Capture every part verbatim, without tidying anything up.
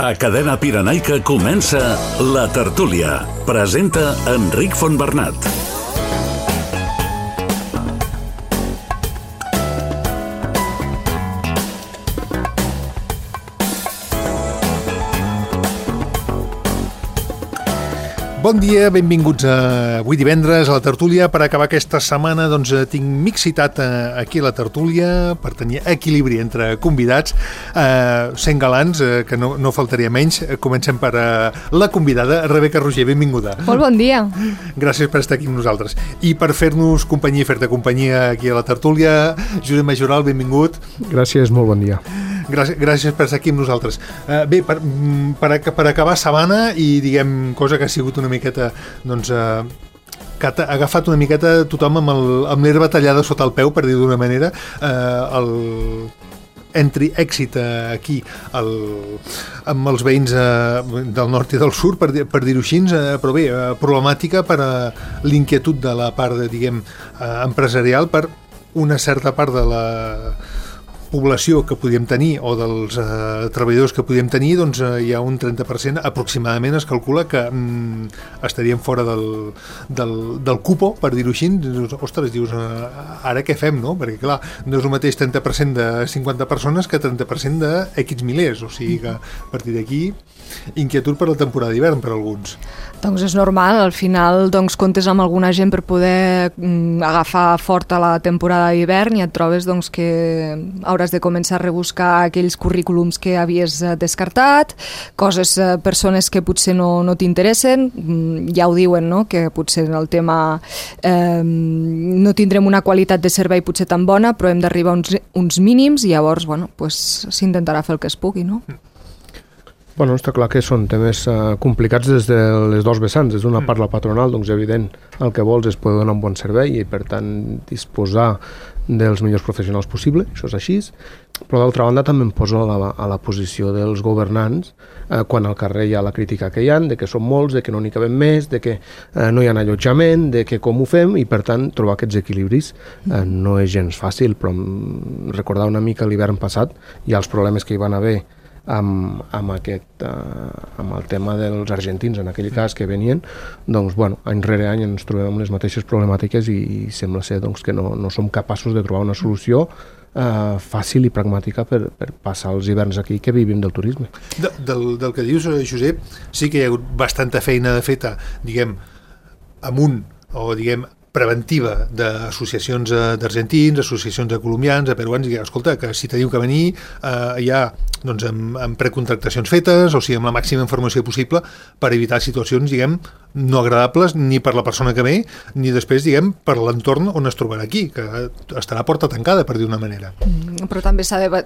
A Cadena Pirenaica comença La Tertúlia. Presenta Enric Fontbernat. Bon dia, benvinguts a avui divendres a la Tertúlia. Per acabar aquesta setmana doncs, tinc mixitat aquí a la Tertúlia per tenir equilibri entre convidats, eh, sent galants, eh, que no, no faltaria menys. Comencem per eh, la convidada, Rebeca Roger, benvinguda. Molt bon dia. Gràcies per estar aquí amb nosaltres. I per fer-nos companyia i fer-te companyia aquí a la Tertúlia, Josep Majoral, benvingut. Gràcies, molt bon dia. Gràcies, gràcies per estar aquí amb nosaltres. Uh, bé, per, per, per acabar setmana i diguem, cosa que ha sigut una miqueta doncs, uh, que ha agafat una miqueta tothom amb, el, amb l'herba tallada sota el peu, per dir d'una manera, uh, el entri èxit uh, aquí el, amb els veïns uh, del nord i del sud, per, per dir-ho així, uh, però bé, uh, problemàtica per uh, l'inquietud de la part de, diguem, uh, empresarial per una certa part de la població que podíem tenir o dels eh, treballadors que podíem tenir, doncs eh, hi ha un trenta per cent aproximadament, es calcula que mm, estaríem fora del, del, del cupo, per dir-ho així. Ostres, dius, eh, ara què fem, no? Perquè clar, no és el mateix trenta per cent de cinquanta persones que trenta per cent de X milers, o sigui que a partir d'aquí inquietud per la temporada d'hivern per alguns. Doncs és normal, al final doncs, comptes amb alguna gent per poder mm, agafar forta la temporada d'hivern i et trobes doncs, que hauràs de començar a rebuscar aquells currículums que havies descartat, coses, eh, persones que potser no, no t'interessen, mm, ja ho diuen, no? Que potser el tema eh, no tindrem una qualitat de servei potser tan bona, però hem d'arribar a uns, uns mínims i llavors bueno, pues, s'intentarà fer el que es pugui, no? Bueno, està clar que són temes uh, complicats des de les dos vessants. Des d'una part la patronal, doncs evident, el que vols és poder donar un bon servei i per tant disposar dels millors professionals possible, això és així, però d'altra banda també em poso a la, a la posició dels governants eh, quan al carrer hi ha la crítica que hi ha, de que són molts, de que no n'hi cabem més, de que eh, no hi ha allotjament, de que com ho fem, i per tant trobar aquests equilibris eh, no és gens fàcil, però recordar una mica l'hivern passat i els problemes que hi van haver amb, amb, aquest, uh, amb el tema dels argentins, en aquell cas que venien, doncs, bueno, any rere any ens trobem amb les mateixes problemàtiques i, i sembla ser doncs, que no, no som capaços de trobar una solució uh, fàcil i pragmàtica per, per passar els hiverns aquí que vivim del turisme. De, del, del que dius, Josep, sí que hi ha hagut bastanta feina feta, diguem, amunt, o diguem, preventiva d'associacions d'argentins, associacions de colombians, de peruans, i escolta, que si teniu que venir eh, ja doncs, amb, amb precontractacions fetes, o sigui, amb la màxima informació possible per evitar situacions, diguem, no agradables ni per la persona que ve, ni després, diguem, per l'entorn on es trobarà aquí, que estarà a porta tancada, per dir una manera. Mm, però també s'ha de,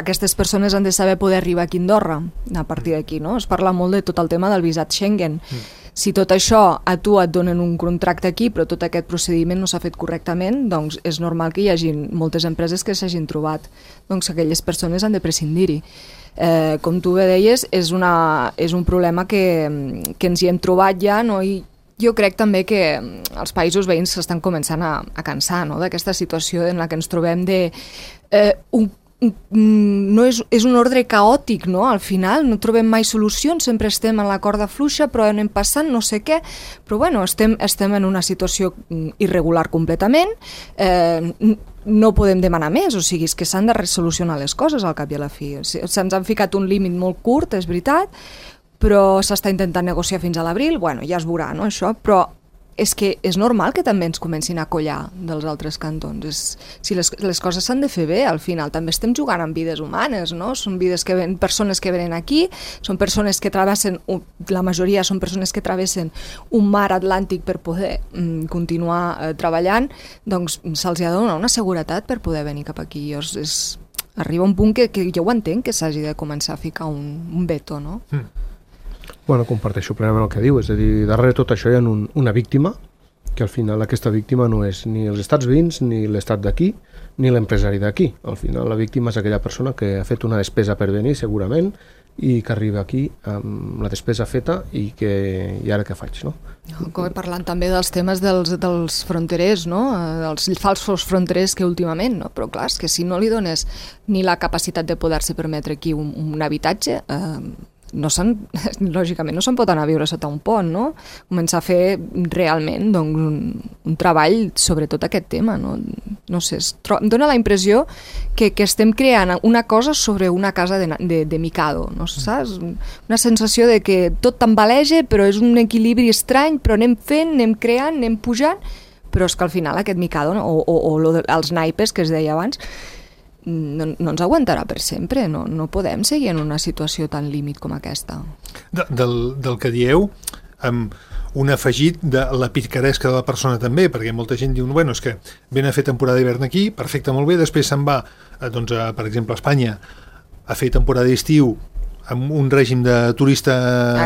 aquestes persones han de saber poder arribar aquí a Andorra, a partir d'aquí, no? Es parla molt de tot el tema del visat Schengen. Mm. Si tot això a tu et donen un contracte aquí, però tot aquest procediment no s'ha fet correctament, doncs és normal que hi hagi moltes empreses que s'hagin trobat. Doncs aquelles persones han de prescindir-hi. Eh, com tu bé deies, és, una, és un problema que, que ens hi hem trobat ja, no? I jo crec també que els països veïns s'estan començant a, a cansar, no? D'aquesta situació en la que ens trobem de eh, un no és, és un ordre caòtic, no? Al final no trobem mai solucions, sempre estem en la corda fluixa, però anem passant no sé què, però bueno, estem, estem en una situació irregular completament, eh, no podem demanar més, o sigui, és que s'han de resolucionar les coses al cap i a la fi. Se'ns han ficat un límit molt curt, és veritat, però s'està intentant negociar fins a l'abril, bueno, ja es veurà, no, això, però és que és normal que també ens comencin a collar dels altres cantons. És, si les, les coses s'han de fer bé, al final també estem jugant amb vides humanes, no? Són vides que ven, persones que venen aquí, són persones que travessen, la majoria són persones que travessen un mar Atlàntic per poder mm, continuar eh, treballant, doncs se'ls ha de donar una seguretat per poder venir cap aquí. És, és, arriba un punt que, que jo ho entenc, que s'hagi de començar a ficar un, un veto, no? Mm. Bueno, comparteixo plenament el que diu, és a dir, darrere tot això hi ha un, una víctima, que al final aquesta víctima no és ni els estats veïns, ni l'estat d'aquí, ni l'empresari d'aquí. Al final la víctima és aquella persona que ha fet una despesa per venir, segurament, i que arriba aquí amb la despesa feta i que i ara què faig, no? Com parlant també dels temes dels, dels fronterers, no? Dels falsos fronterers que últimament, no? Però clar, és que si no li dones ni la capacitat de poder-se permetre aquí un, un habitatge, eh, no se'n, lògicament no se'n pot anar a viure sota un pont, no? Començar a fer realment doncs, un, un treball sobre tot aquest tema, no? No sé, es tro... em dóna la impressió que, que estem creant una cosa sobre una casa de, de, de Mikado, no saps? Una sensació de que tot tambaleja, però és un equilibri estrany, però anem fent, anem creant, anem pujant, però és que al final aquest Mikado, no? o, o, o lo de, els naipes que es deia abans, no, no ens aguantarà per sempre, no, no podem seguir en una situació tan límit com aquesta. De, del, del que dieu, amb un afegit de la picaresca de la persona també, perquè molta gent diu, bueno, és que ven a fer temporada d'hivern aquí, perfecte, molt bé, després se'n va, doncs, a, per exemple, a Espanya, a fer temporada d'estiu amb un règim de turista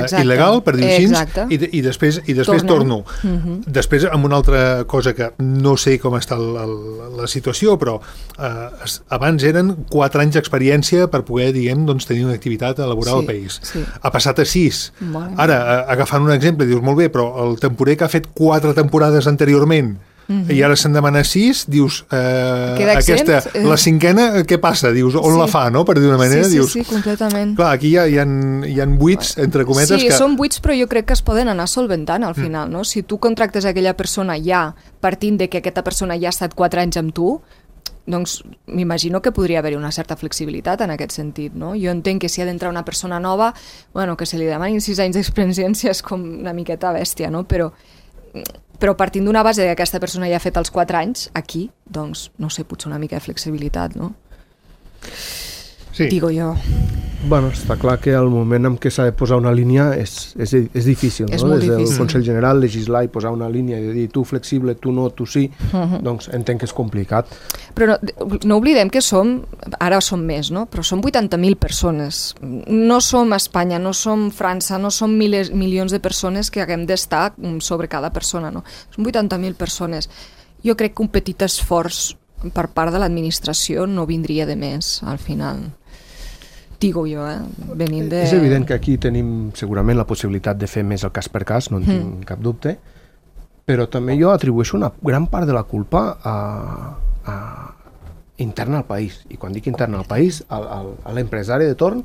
Exacte. il·legal, per dir-ho així, i, i després, i després torno. Uh-huh. Després, amb una altra cosa que no sé com està el, el, la situació, però eh, abans eren quatre anys d'experiència per poder, diguem, doncs, tenir una activitat laboral sí, al país. Sí. Ha passat a sis. Molt Ara, agafant un exemple, dius, molt bé, però el temporer que ha fet quatre temporades anteriorment Uh-huh. i ara se'n demana sis, dius eh, aquesta, la cinquena, què passa? Dius, on sí. la fa, no? Per dir una manera, sí, sí, dius... Sí, completament. Clar, aquí hi ha, hi ha, hi ha buits, entre cometes, sí, que... Sí, són buits, però jo crec que es poden anar solventant al final, mm. no? Si tu contractes aquella persona ja, partint de que aquesta persona ja ha estat quatre anys amb tu, doncs m'imagino que podria haver-hi una certa flexibilitat en aquest sentit, no? Jo entenc que si ha d'entrar una persona nova, bueno, que se li demanin sis anys d'experiència és com una miqueta bèstia, no? Però... però partint d'una base que aquesta persona ja ha fet els quatre anys, aquí, doncs, no sé, potser una mica de flexibilitat, no? Sí. Digo jo. Bueno, està clar que el moment en què s'ha de posar una línia és, és, és difícil, és no? Molt Des del difícil. Consell General legislar i posar una línia i dir tu flexible, tu no, tu sí, uh-huh. doncs entenc que és complicat. Però no, no oblidem que som, ara som més, no? Però som vuitanta mil persones. No som Espanya, no som França, no som miles, milions de persones que haguem d'estar sobre cada persona, no? Som vuitanta mil persones. Jo crec que un petit esforç per part de l'administració no vindria de més, al final. Digo jo, eh? Venint de... És evident que aquí tenim segurament la possibilitat de fer més el cas per cas, no en tinc mm. cap dubte, però també jo atribueixo una gran part de la culpa a, a interna al país. I quan dic interna al país, al, al, a l'empresari de torn,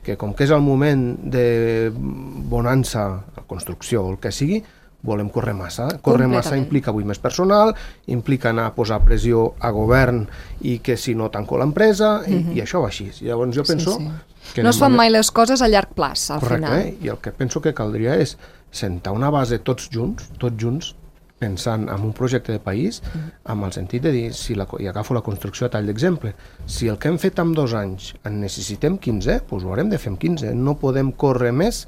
que com que és el moment de bonança, construcció o el que sigui, volem córrer massa. Córrer massa implica avui més personal, implica anar a posar pressió a govern i que si no tanco l'empresa, i, mm-hmm. i això va així. Llavors jo penso... Sí, sí. Que no es fan mai les coses a llarg plaç, al Correcte, final. Eh? I el que penso que caldria és sentar una base tots junts, tots junts, pensant en un projecte de país, mm. amb el sentit de dir, si la, i agafo la construcció a tall d'exemple, si el que hem fet en dos anys en necessitem quinze, doncs ho haurem de fer en quinze. No podem córrer més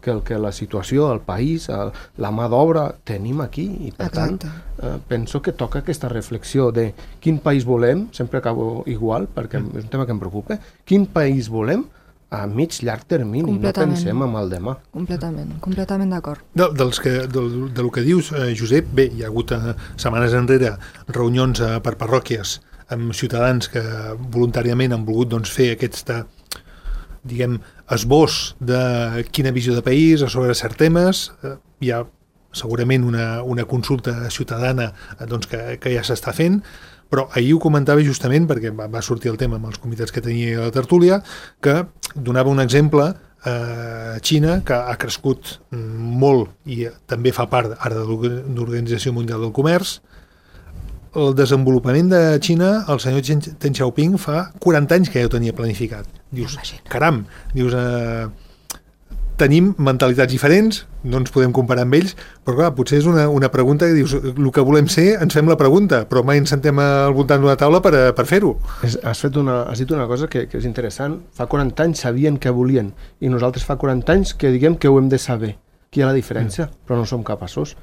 que el que la situació, el país, el, la mà d'obra tenim aquí i per Exacte. tant eh, penso que toca aquesta reflexió de quin país volem, sempre acabo igual perquè mm. és un tema que em preocupa, quin país volem a mig llarg termini, no pensem en el demà. Completament, completament d'acord. De, dels que, del, del que dius, eh, Josep, bé, hi ha hagut eh, setmanes enrere reunions eh, per parròquies amb ciutadans que voluntàriament han volgut doncs, fer aquesta, diguem, esbós de quina visió de país sobre certs temes. Eh, hi ha segurament una, una consulta ciutadana eh, doncs, que, que ja s'està fent, però ahir ho comentava justament perquè va, va sortir el tema amb els comitès que tenia a la tertúlia, que donava un exemple a eh, Xina, que ha crescut molt i també fa part ara de l'Organització Mundial del Comerç. El desenvolupament de Xina, el senyor Deng Xiaoping fa quaranta anys que ja ho tenia planificat. Dius, caram, dius, eh, tenim mentalitats diferents, no ens podem comparar amb ells, però clar, potser és una, una pregunta que dius, el que volem ser, ens fem la pregunta, però mai ens sentem al voltant d'una taula per, per fer-ho. Has, fet una, has dit una cosa que, que és interessant. Fa quaranta anys sabien què volien, i nosaltres fa quaranta anys que diguem que ho hem de saber. Aquí hi ha la diferència, mm. però no som capaços.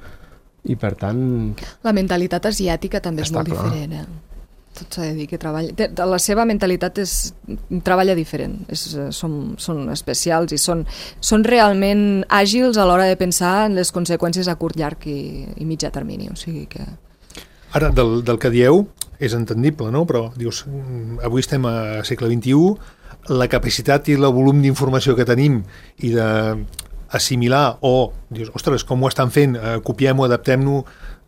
I per tant... La mentalitat asiàtica també és molt clar. diferent, eh? Tot s'ha de dir que treballa... La seva mentalitat és... treballa diferent. És, són, són especials i són, són realment àgils a l'hora de pensar en les conseqüències a curt, llarg i, i mitjà termini. O sigui que... Ara, del, del que dieu, és entendible, no? Però, dius, avui estem a segle vint-i-u, la capacitat i el volum d'informació que tenim i de... assimilar o, dius, ostres, com ho estan fent, eh, copiem-ho, adaptem-ho,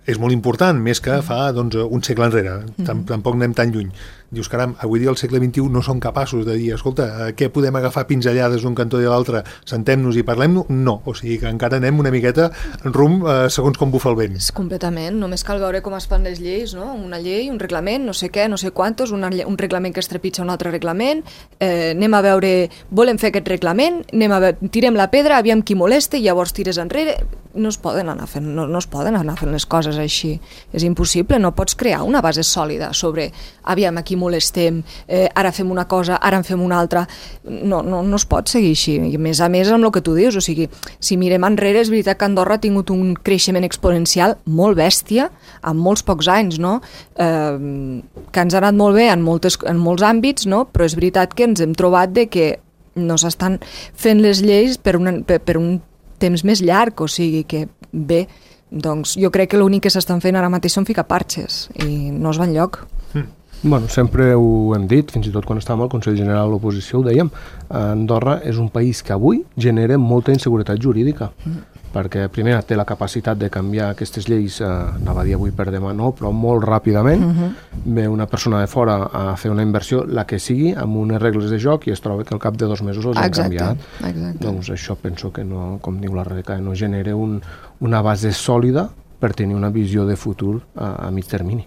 és molt important, més que fa doncs, un segle enrere. Tamp tampoc anem tan lluny. Dius, caram, avui dia al segle vint-i-u no som capaços de dir, escolta, què podem agafar pinzellades d'un cantó i de l'altre, sentem-nos i parlem-nos? No, o sigui que encara anem una miqueta rum eh, segons com bufa el vent. Completament, només cal veure com es fan les lleis, no? Una llei, un reglament, no sé què, no sé quantos, una, un reglament que es trepitja un altre reglament, eh, anem a veure, volem fer aquest reglament, anem a veure, tirem la pedra, aviam qui molesta i llavors tires enrere. No es poden anar fent, no, no es poden anar fent les coses així. És impossible, no pots crear una base sòlida sobre aviam a qui molestem, eh, ara fem una cosa, ara en fem una altra. No, no, no es pot seguir així. I a més a més amb el que tu dius, o sigui, si mirem enrere és veritat que Andorra ha tingut un creixement exponencial molt bèstia en molts pocs anys, no? Eh, que ens ha anat molt bé en, moltes, en molts àmbits, no? Però és veritat que ens hem trobat de que no s'estan fent les lleis per, una, per, per un temps més llarg, o sigui que bé, doncs jo crec que l'únic que s'estan fent ara mateix són ficar parxes i no es va enlloc. Mm. Bueno, sempre ho hem dit, fins i tot quan estàvem al Consell General de l'Oposició ho dèiem, Andorra és un país que avui genera molta inseguretat jurídica, mm. perquè primer té la capacitat de canviar aquestes lleis, eh, anava a dir avui per demà no, però molt ràpidament, mm-hmm. ve una persona de fora a fer una inversió, la que sigui, amb unes regles de joc i es troba que al cap de dos mesos els han canviat. Exacte. Doncs això penso que no, com diu la Rebeca, no genera un, una base sòlida per tenir una visió de futur a, a mig termini.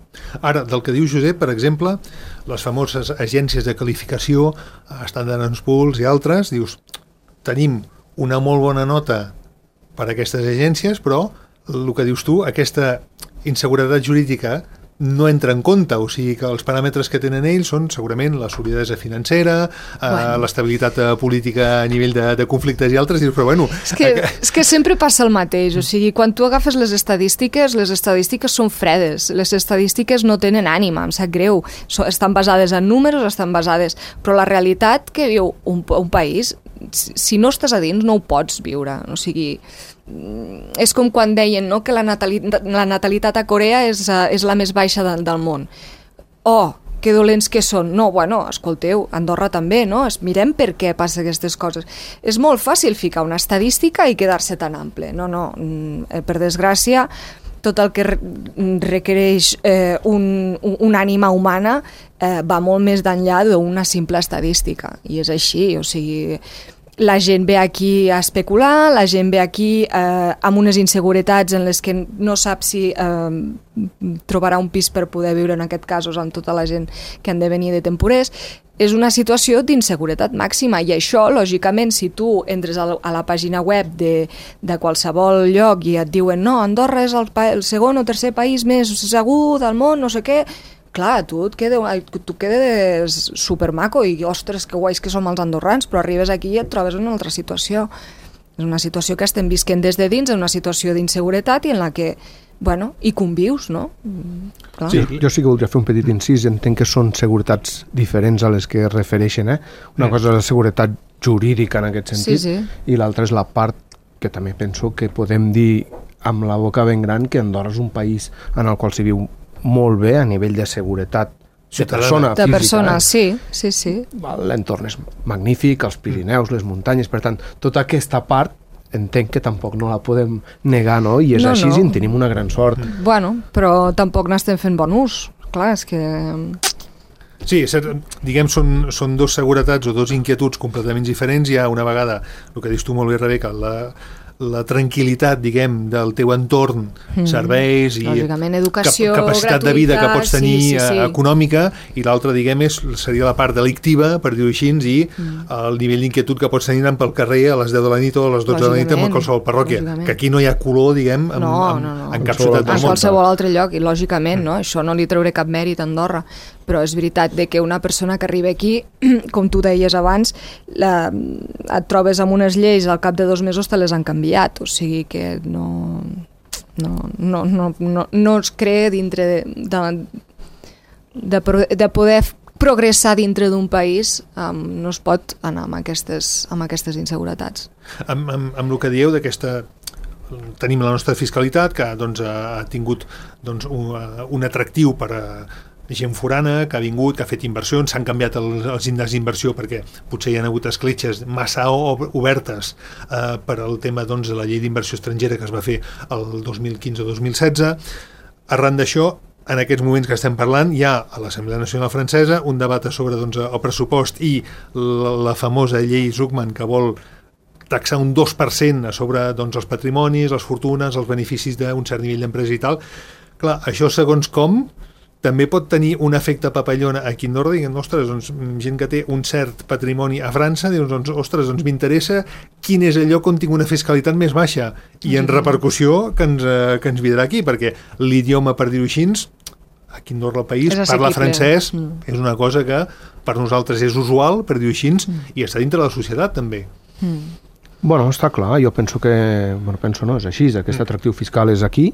Ara, del que diu Josep, per exemple, les famoses agències de qualificació, Standard and Poor's i altres, dius, tenim una molt bona nota per a aquestes agències, però el que dius tu, aquesta inseguretat jurídica no entra en compte, o sigui que els paràmetres que tenen ells són segurament la solidesa financera, bueno. eh, l'estabilitat política a nivell de, de conflictes i altres, i dius, però bueno... És que, és que sempre passa el mateix, o sigui, quan tu agafes les estadístiques, les estadístiques són fredes, les estadístiques no tenen ànima, em sap greu, estan basades en números, estan basades... Però la realitat que viu un, un país, si no estàs a dins no ho pots viure, o sigui... És com quan deien, no?, que la natalitat, la natalitat a Corea és, uh, és la més baixa de, del món. Oh, que dolents que són. No, bueno, escolteu, Andorra també, no? Es mirem per què passa aquestes coses. És molt fàcil ficar una estadística i quedar-se tan ample. No, no, per desgràcia, tot el que requereix eh, un, una ànima humana eh, va molt més d'enllà d'una simple estadística. I és així, o sigui... La gent ve aquí a especular, la gent ve aquí eh, amb unes inseguretats en les que no sap si eh, trobarà un pis per poder viure, en aquest cas, amb tota la gent que han de venir de temporers. És una situació d'inseguretat màxima i això, lògicament, si tu entres a la, a la pàgina web de, de qualsevol lloc i et diuen no, Andorra és el, el segon o tercer país més segur del món, no sé què... Clar, tu et quedes, tu quedes supermaco i, ostres, que guais que som els andorrans, però arribes aquí i et trobes en una altra situació. És una situació que estem visquent des de dins, una situació d'inseguretat i en la que, bueno, hi convius, no? Clar. Sí, jo sí que voldria fer un petit incís, entenc que són seguretats diferents a les que es refereixen, eh? Una cosa és la seguretat jurídica en aquest sentit, sí, sí. I l'altra és la part que també penso que podem dir amb la boca ben gran que Andorra és un país en el qual s'hi viu molt bé a nivell de seguretat de persona de física. persona, eh? sí, sí, sí. L'entorn és magnífic, els Pirineus, les muntanyes, per tant, tota aquesta part entenc que tampoc no la podem negar, no? I és no, així no. I en tenim una gran sort. Bueno, però tampoc n'estem fent bon ús. Clar, és que... Sí, diguem, són, són dos seguretats o dos inquietuds completament diferents. Hi ha una vegada, el que dius tu molt bé, Rebeca, la... la tranquil·litat, diguem, del teu entorn, mm. serveis i educació, cap capacitat de vida que pots tenir sí, sí, sí. econòmica, i l'altra, diguem, és, seria la part delictiva, per dir-ho així, i mm. el nivell d'inquietud que pots tenir anant pel carrer a les deu de la nit o a les dotze de la nit en qualsevol parròquia, que aquí no hi ha color, diguem, en, no, en, no, no. en cap ciutat del món. En qualsevol altre lloc, i lògicament, no? Això no li trauré cap mèrit a Andorra, però és veritat de que una persona que arriba aquí, com tu deies abans, la, et trobes amb unes lleis, al cap de dos mesos te les han canviat, o sigui que no, no, no, no, no, no es crea dintre de, de, de, de poder progressar dintre d'un país, um, no es pot anar amb aquestes, amb aquestes inseguretats. Amb, amb, amb el que dieu d'aquesta... Tenim la nostra fiscalitat, que doncs, ha tingut doncs, un, un atractiu per a gent forana que ha vingut, que ha fet inversions, s'han canviat els, els índexs d'inversió perquè potser hi ha hagut escletxes massa obertes eh, per al tema doncs, de la llei d'inversió estrangera que es va fer el dos mil quinze dos mil setze. arran d'això, en aquests moments que estem parlant, hi ha a l'Assemblea Nacional Francesa un debat sobre doncs, el pressupost i la, la famosa llei Zuckman que vol taxar un dos per cent a sobre doncs, els patrimonis, les fortunes, els beneficis d'un cert nivell d'empresa i tal. Clar, això segons com també pot tenir un efecte papallona aquí a Andorra, diguem, ostres, doncs, gent que té un cert patrimoni a França, dius, doncs, ostres, doncs m'interessa quin és el lloc on tinc una fiscalitat més baixa i en repercussió que ens, eh, que ens vindrà aquí, perquè l'idioma, per dir-ho així, aquí a Andorra, el país, parla francès, mm. és una cosa que per nosaltres és usual, per dir-ho així, mm. i està dintre de la societat també. Mm. Bueno, està clar, jo penso que... Bueno, penso no, és així, aquest atractiu fiscal és aquí.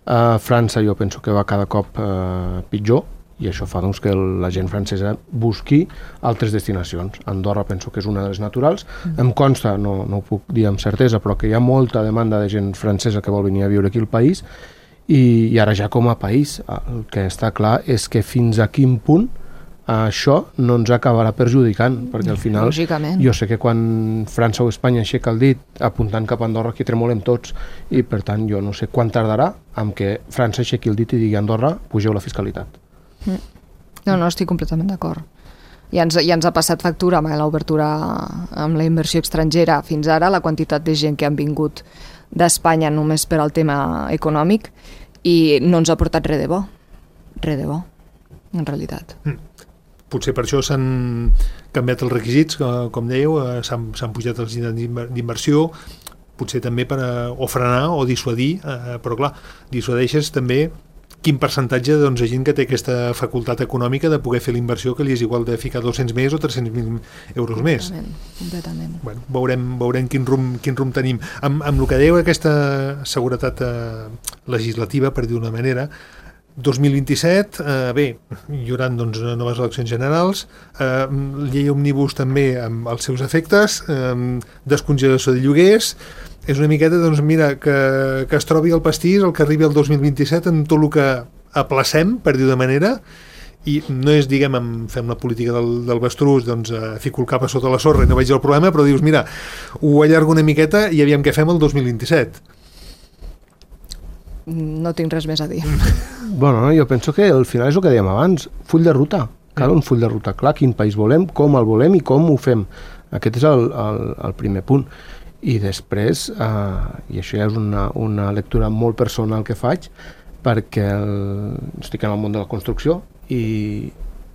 A França jo penso que va cada cop eh, pitjor, i això fa doncs, que la gent francesa busqui altres destinacions. Andorra penso que és una de les naturals. Mm. Em consta, no, no ho puc dir amb certesa, però que hi ha molta demanda de gent francesa que vol venir a viure aquí al país, i, i ara ja com a país el que està clar és que fins a quin punt això no ens acabarà perjudicant, perquè al final jo sé que quan França o Espanya aixeca el dit apuntant cap a Andorra aquí tremolem tots, i per tant jo no sé quan tardarà amb que França aixequi el dit i digui a Andorra pugeu la fiscalitat. No, no, estic completament d'acord. Ja ens, ja ens ha passat factura amb l'obertura amb la inversió estrangera fins ara, la quantitat de gent que han vingut d'Espanya només per al tema econòmic, i no ens ha portat res de bo, res de bo, en realitat. Mm. Potser per això s'han canviat els requisits, com dèieu, s'han, s'han pujat els índexs d'inversió, potser també per a, o frenar o dissuadir, eh, però clar, dissuadeixes també quin percentatge doncs, de gent que té aquesta facultat econòmica de poder fer la inversió que li és igual de ficar dos-cents més o tres-cents mil euros més. Completament. Bueno, veurem, veurem quin rumb, quin rumb tenim. Amb, amb el que dèieu aquesta seguretat eh, legislativa, per dir d'una manera, dos mil vint-i-set, eh, bé, hi haurà doncs, noves eleccions generals, eh, llei òmnibus també amb els seus efectes, eh, descongelació de lloguers, és una miqueta, doncs mira, que, que es trobi el pastís, el que arribi el dos mil vint-i-set, amb tot el que aplacem, per dir de manera, i no és, diguem, amb, fem la política del, del Bastrús, doncs eh, fico el cap a sota la sorra i no veig el problema, però dius, mira, ho allargo una miqueta i aviam què fem el dos mil vint-i-set. No tinc res més a dir. Bueno, jo penso que al final és el que dèiem abans, full de ruta. Cal un full de ruta clar, quin país volem, com el volem i com ho fem. Aquest és el, el, el primer punt. I després, eh, i això ja és una, una lectura molt personal que faig, perquè el, estic en el món de la construcció i,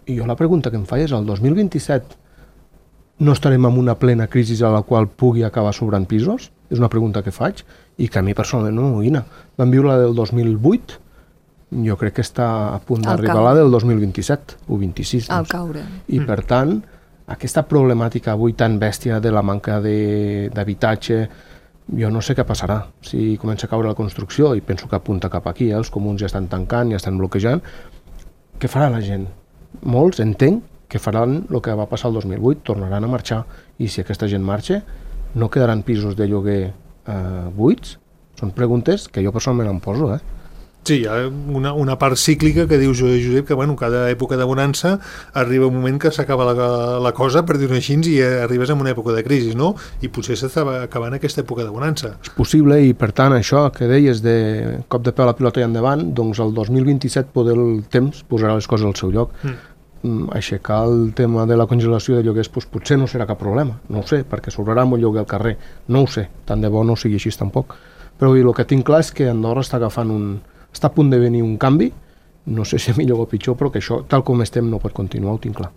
i jo la pregunta que em faig és el dos mil vint-i-set no estarem en una plena crisi a la qual pugui acabar sobrant pisos? És una pregunta que faig i que a mi personalment no m'amoïna. Vam viure la del dos mil vuit, jo crec que està a punt d'arribar la del dos mil vint-i-set o vint-i-sis. Al doncs. Caure. I per tant, aquesta problemàtica avui tan bèstia de la manca d'habitatge, jo no sé què passarà. Si comença a caure la construcció, i penso que apunta cap aquí, eh? Els comuns ja estan tancant, ja estan bloquejant, què farà la gent? Molts, entenc, que faran el que va passar el dos mil vuit, tornaran a marxar, i si aquesta gent marxa, no quedaran pisos de lloguer eh, buits? Són preguntes que jo personalment em poso, eh? Sí, hi ha una, una part cíclica que diu Josep que bueno, cada època de bonança arriba un moment que s'acaba la, la cosa, per dir-ho així, i arribes en una època de crisi, no? I potser s'està acabant aquesta època de bonança. És possible, i per tant això que deies de cop de peu a la pilota i endavant, doncs el dos mil vint-i-set poder el temps posarà les coses al seu lloc. Mm. Aixecar el tema de la congelació de lloguers doncs potser no serà cap problema, no ho sé, perquè s'obrarà molt lloguer al carrer, no ho sé, tant de bo no sigui així tampoc, però el que tinc clar és que Andorra està agafant un... està a punt de venir un canvi, no sé si millor o pitjor, però que això, tal com estem, no pot continuar, ho tinc clar.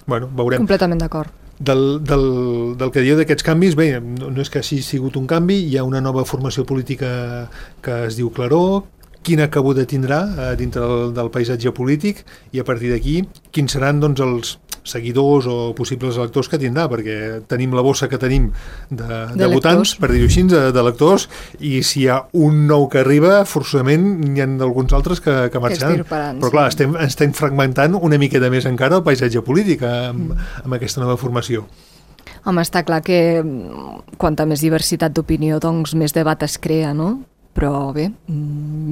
Bueno, veurem. Completament d'acord. Del, del, del que dieu d'aquests canvis, bé, no, no és que hagi sigut un canvi, hi ha una nova formació política que es diu Claror, quina cabuda tindrà eh, dintre del, del paisatge polític, i a partir d'aquí quins seran doncs, els seguidors o possibles electors que tindrà, perquè tenim la bossa que tenim de, de, de votants, per dir-ho així, de, de electors, i si hi ha un nou que arriba, forçosament n'hi ha alguns altres que, que marxaran. Però clar, sí. estem, estem fragmentant una miqueta més encara el paisatge polític amb, mm. amb aquesta nova formació. Home, està clar que quanta més diversitat d'opinió, doncs més debat es crea, no? Però bé,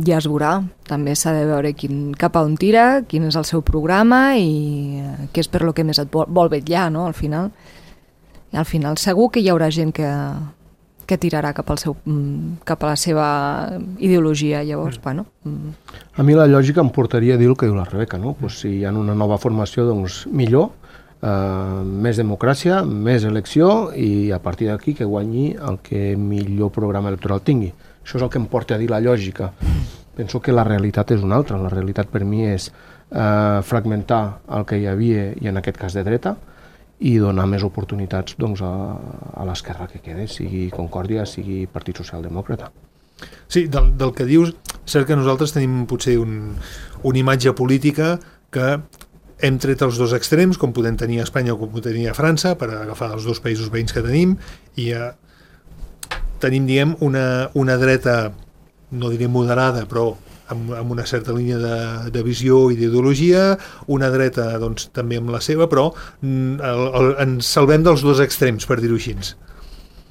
ja es veurà. També s'ha de veure quin, cap a on tira, quin és el seu programa i què és per lo que més et vol, vol vetllar, no?, al final. I al final segur que hi haurà gent que, que tirarà cap, al seu, cap a la seva ideologia. Llavors, mm. bueno... Mm. A mi la lògica em portaria a dir el que diu la Rebeca, no? Pues si hi ha una nova formació, doncs millor, eh, més democràcia, més elecció, i a partir d'aquí que guanyi el que millor programa electoral tingui. Això és el que em porta a dir la lògica. Penso que la realitat és una altra. La realitat per mi és eh, fragmentar el que hi havia, i en aquest cas de dreta, i donar més oportunitats doncs, a, a l'esquerra que quede, sigui Concòrdia, sigui Partit Socialdemòcrata. Sí, del, del que dius, cert que nosaltres tenim potser un, una imatge política que hem tret els dos extrems, com podem tenir a Espanya o com podem tenir a França, per agafar els dos països veïns que tenim, i eh, tenim, diguem, una, una dreta, no diré moderada, però amb, amb una certa línia de, de visió i d'ideologia, una dreta doncs, també amb la seva, però el, el, ens salvem dels dos extrems, per dir-ho així.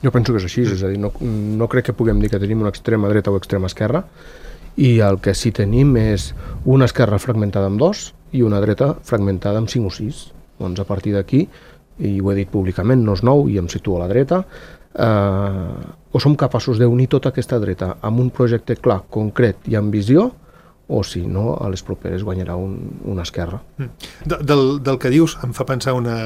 Jo penso que és així, és a dir, no, no crec que puguem dir que tenim una extrema dreta o extrema esquerra, i el que sí tenim és una esquerra fragmentada en dos i una dreta fragmentada en cinc o sis. Doncs a partir d'aquí, i ho he dit públicament, no és nou, i em situo a la dreta, eh, o som capaços d'unir tota aquesta dreta amb un projecte clar, concret i amb visió, o si no, a les properes guanyarà un, una esquerra. De, del, del que dius em fa pensar una,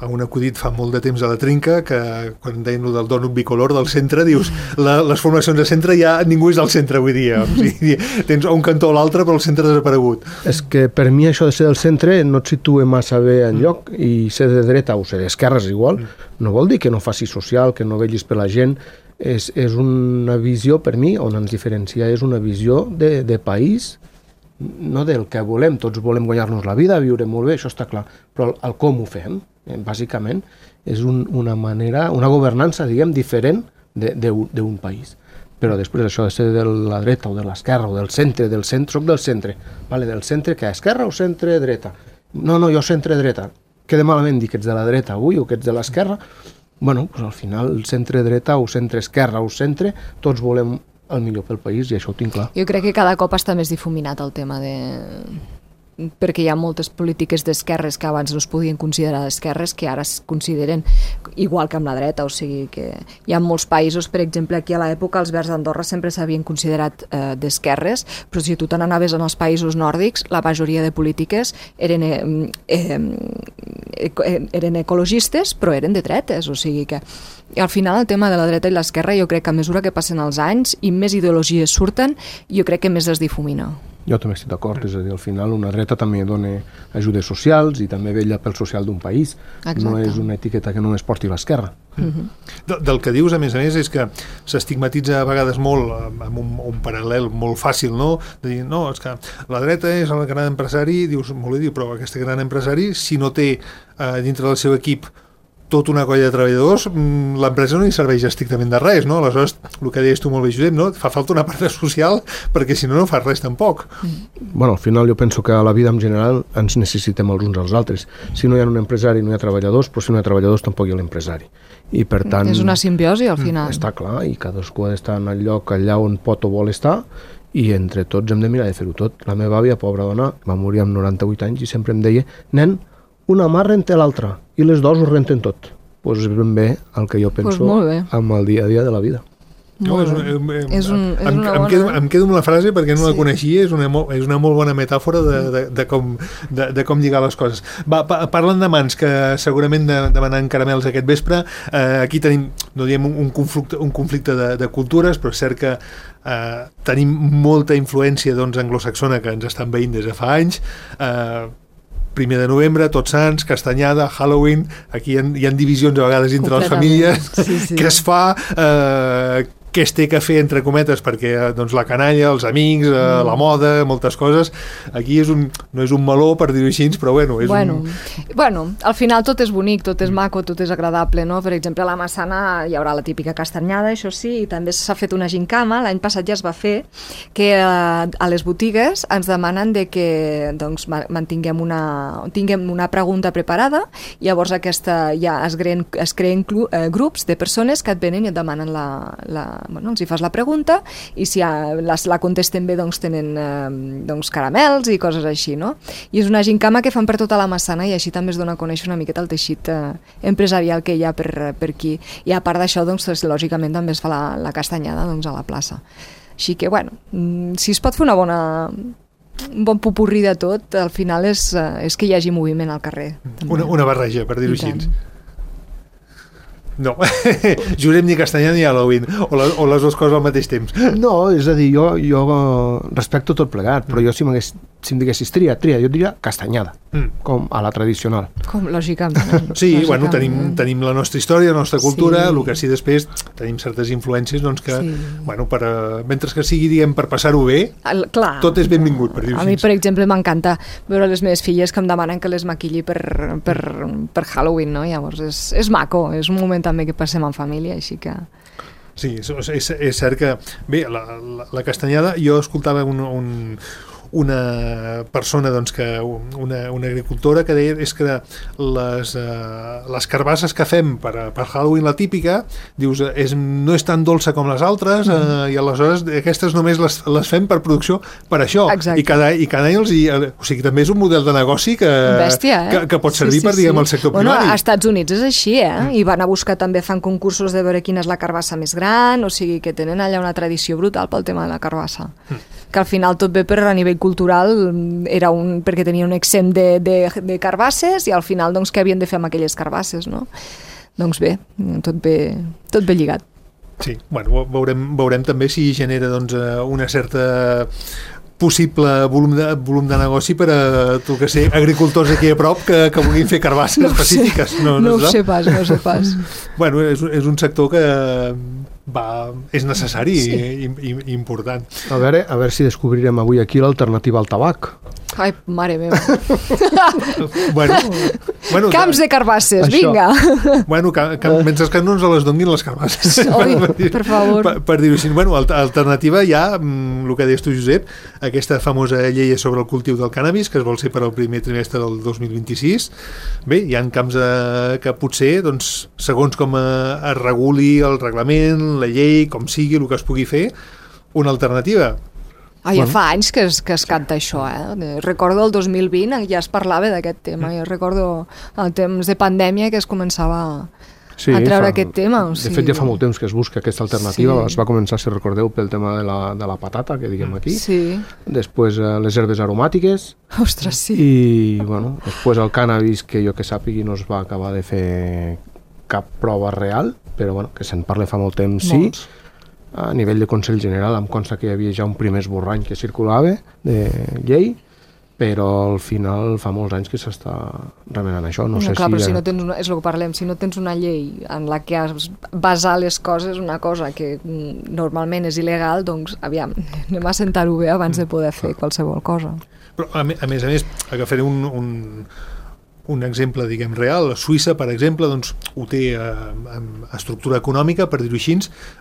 a un acudit fa molt de temps a la Trinca, que quan deien el del dònut bicolor del centre, dius, la, les formacions de centre ja ningú és del centre avui dia. O sigui, tens un cantó o l'altre, però el centre ha desaparegut. És que per mi això de ser del centre no et situa massa bé en lloc, i ser de dreta o ser d'esquerra és igual, no vol dir que no faci social, que no vetllis per la gent. És, és una visió, per mi, on ens diferencia, és una visió de, de país, no del que volem. Tots volem guanyar-nos la vida, viure molt bé, això està clar, però el, el com ho fem, eh, bàsicament, és un, una manera, una governança, diguem, diferent d'un país. Però després això de ser de la dreta o de l'esquerra o del centre, del centre, soc del centre, vale, del centre que esquerra o centre dreta? No, no, jo centre dreta. Queda malament dir que ets de la dreta avui o que ets de l'esquerra. Bueno, doncs al final, el centre dreta o centre esquerra o centre, tots volem el millor pel país, i això ho tinc clar. Jo crec que cada cop està més difuminat el tema de... perquè hi ha moltes polítiques d'esquerres que abans no es podien considerar d'esquerres, que ara es consideren igual que amb la dreta, o sigui que hi ha molts països, per exemple, aquí a l'època els Verds d'Andorra sempre s'havien considerat eh, d'esquerres, però si tu te n'anaves en els països nòrdics, la majoria de polítiques eren, eh, eh, eren ecologistes, però eren de dretes, o sigui que i al final el tema de la dreta i l'esquerra, jo crec que a mesura que passen els anys i més ideologies surten, jo crec que més es difumina. Jo també estic d'acord, és a dir, al final una dreta també dona ajudes socials i també vetlla pel social d'un país. Exacte. No és una etiqueta que només porti l'esquerra. Uh-huh. De, del que dius, a més a més, és que s'estigmatitza a vegades molt, amb un, un paral·lel molt fàcil, no? De dir, no, és que la dreta és el gran empresari, dius, molt bé, però aquest gran empresari, si no té eh, dintre del seu equip tota una colla de treballadors, l'empresa no hi serveix estrictament de res, no? Aleshores, el que deies tu molt bé, Josep, no? Fa falta una part social perquè si no, no fa res tampoc. Bueno, al final jo penso que a la vida en general ens necessitem els uns als altres. Si no hi ha un empresari no hi ha treballadors, però si no hi ha treballadors tampoc hi ha l'empresari. I per tant... És una simbiosi al final. Està clar, i cadascú ha d'estar en el lloc allà on pot o vol estar, i entre tots hem de mirar de fer-ho tot. La meva àvia, pobra dona, va morir amb noranta-vuit anys i sempre em deia, nen, una mà renta l'altra i les dues ho renten tot. Doncs és ben bé el que jo penso pues amb el dia a dia de la vida. No, és, un, eh, és, un, és em, una bona... em, quedo, em quedo amb la frase perquè no sí. la coneixia, és una, és una molt bona metàfora de, de, de, com, de, de com lligar les coses. Va, pa, parlant de mans, que segurament de, demanant caramels aquest vespre, eh, aquí tenim, no diem un conflicte, un conflicte de, de cultures, però és cert que eh, tenim molta influència doncs, anglosaxona que ens estan veient des de fa anys. Eh, primer de novembre, Tots Sants, Castanyada, Halloween, aquí hi ha, hi ha divisions a vegades entre les famílies, sí, sí. Què es fa, eh, què es té que fer, entre cometes, perquè doncs, la canalla, els amics, eh, mm. la moda, moltes coses, aquí és un, no és un meló, per dir-ho així, però bueno, és bueno, un... Bueno, al final tot és bonic, tot és maco, tot és agradable, no? Per exemple, a la Massana hi haurà la típica castanyada, això sí, i també s'ha fet una gincama, l'any passat ja es va fer, que eh, a les botigues ens demanen de que doncs, mantinguem una, tinguem una pregunta preparada, i llavors aquesta ja es creen, es creen clu, eh, grups de persones que et venen i et demanen la, la bueno, els hi fas la pregunta i si la, la contesten bé doncs tenen eh, doncs caramels i coses així, no? I és una gincama que fan per tota la Massana i així també es dona a conèixer una miqueta el teixit eh, empresarial que hi ha per, per aquí. I a part d'això, doncs, lògicament també es fa la, la castanyada doncs, a la plaça. Així que, bueno, si es pot fer una bona... un bon popurrí de tot, al final és, és que hi hagi moviment al carrer. Una, una barreja, per dir-ho així. No, Josep, ni Castanyada ni Halloween, o, la, o les dues coses al mateix temps. No, és a dir, jo, jo respecto tot plegat, però jo si, si em diguessis tria, tria, jo diria Castanyada, mm. com a la tradicional. Com, lògicament. Sí, lògicament. Bueno, tenim, tenim la nostra història, la nostra cultura, sí. El que sí després tenim certes influències, doncs que, sí. bueno, per, mentre que sigui, diguem, per passar-ho bé, el, clar, tot és benvingut, per dir-ho així. A mi, per exemple, m'encanta veure les meves filles que em demanen que les maquilli per, per, per Halloween, no? Llavors, és, és maco, és un moment també que passem en família, així que... Sí, és, és, és cert que... Bé, la, la, la Castanyada, jo escoltava un, un, una persona, doncs, que una, una agricultora que deia és que les, uh, les carbasses que fem per, per Halloween, la típica, dius, és, no és tan dolça com les altres, uh, i aleshores aquestes només les, les fem per producció per això. Exacte. I cada, i cada any els hi... O sigui, també és un model de negoci que, Bèstia, eh? que, que pot servir sí, sí, per, diguem, sí. el sector bueno, primari. Als Estats Units és així, eh? Mm. I van a buscar, també fan concursos de veure quina és la carbassa més gran, o sigui que tenen allà una tradició brutal pel tema de la carbassa. Mm. Que al final tot bé per a nivell cultural era un, perquè tenia un exempt de, de, de carbasses i al final doncs què havien de fer amb aquelles carbasses, no? Doncs bé, tot bé, tot bé lligat. Sí, bueno, veurem, veurem també si genera doncs, una certa possible volum de, volum de negoci per a, tu que sé, agricultors aquí a prop que, que vulguin fer carbasses no específiques. No, no, no ho sé pas, no ho sé pas. Bueno, és, és un sector que va, és necessari sí. i, i, i important. A veure, a veure si descobrirem avui aquí l'alternativa al tabac. Ai, mare meva. bueno, bueno, camps de carbasses, això. Vinga. Bueno, que, que, mentre que no ens les donin les carbasses. Oi, per, per favor. Per, per dir-ho així. Bueno, alternativa hi ha, el que deies tu, Josep, aquesta famosa llei sobre el cultiu del cànnabis, que es vol ser per al primer trimestre del dos mil vint-i-sis. Bé, hi ha camps eh, que potser, doncs, segons com eh, es reguli el reglament, la llei, com sigui, el que es pugui fer, una alternativa. Ah, ja fa anys que es, que es canta això, eh? Recordo el dos mil vint, ja es parlava d'aquest tema. Jo recordo el temps de pandèmia que es començava sí, a treure fa, aquest tema. O sigui... De fet, ja fa molt temps que es busca aquesta alternativa. Sí. Es va començar, si recordeu, pel tema de la, de la patata, que diguem aquí. Sí. Després eh, les herbes aromàtiques. Ostres, sí. I, bueno, després el cànnabis, que jo que sàpigui no es va acabar de fer cap prova real, però bueno, que se'n parla fa molt temps, Molts. sí. A nivell de Consell General em consta que hi havia ja un primer esborrany que circulava de llei, però al final fa molts anys que s'està remenant això. No, no sé clar, si però ja... si no tens una, és el que parlem, si no tens una llei en la que has basar les coses, una cosa que normalment és il·legal, doncs aviam, anem a sentar-ho bé abans de poder fer qualsevol cosa. Però a, a més a més, agafaré un... un... un exemple, diguem, real. Suïssa, per exemple, doncs, ho té eh, amb estructura econòmica, per dir-ho així,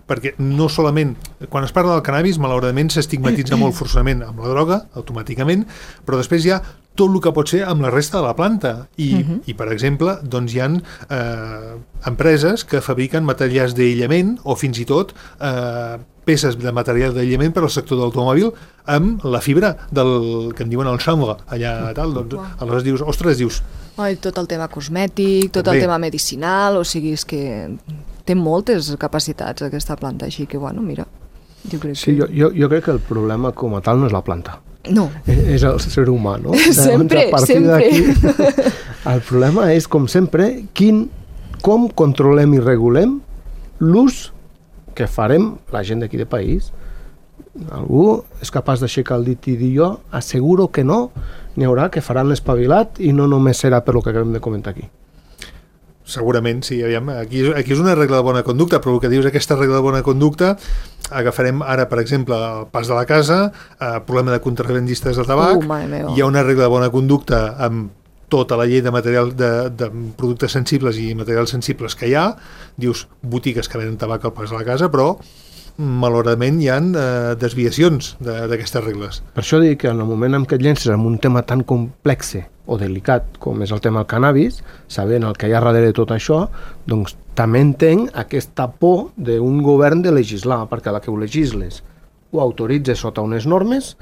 perquè no solament, quan es parla del cannabis, malauradament s'estigmatitza molt forçament amb la droga, automàticament, però després hi ha tot el que pot ser amb la resta de la planta. I, uh-huh. i per exemple, doncs hi ha eh, empreses que fabriquen materials d'aïllament o fins i tot eh, peces de material d'aïllament per al sector de l'automòbil amb la fibra del que en diuen el chanvre, allà tal, doncs aleshores dius, ostres, dius... Oi, tot el tema cosmètic, tot També. el tema medicinal, o sigui, és que té moltes capacitats aquesta planta, així que, bueno, mira, jo crec sí, que... Jo, jo, jo crec que el problema com a tal no és la planta. No. És, és el ser humà, no? Sempre, sempre. El problema és, com sempre, quin, com controlem i regulem l'ús que farem la gent d'aquí de país. Algú és capaç d'aixecar el dit i dir jo asseguro que no, n'hi haurà que faran l'espavilat i no només serà per lo que acabem de comentar aquí. Segurament, sí, aviam, aquí, aquí és una regla de bona conducta, però el que dius aquesta regla de bona conducta, agafarem ara, per exemple, el pas de la casa, eh, problema de contrabandistes de tabac, uh, hi ha una regla de bona conducta amb tota la llei de material de, de productes sensibles i materials sensibles que hi ha, dius botigues que venen tabac al pas de la casa, però malauradament hi ha eh, desviacions d'aquestes regles. Per això dic que en el moment en què et llences en un tema tan complex o delicat com és el tema del cannabis, sabent el que hi ha darrere de tot això, doncs també entenc aquesta por d'un govern de legislar, perquè la que ho legisles ho autoritza sota unes normes,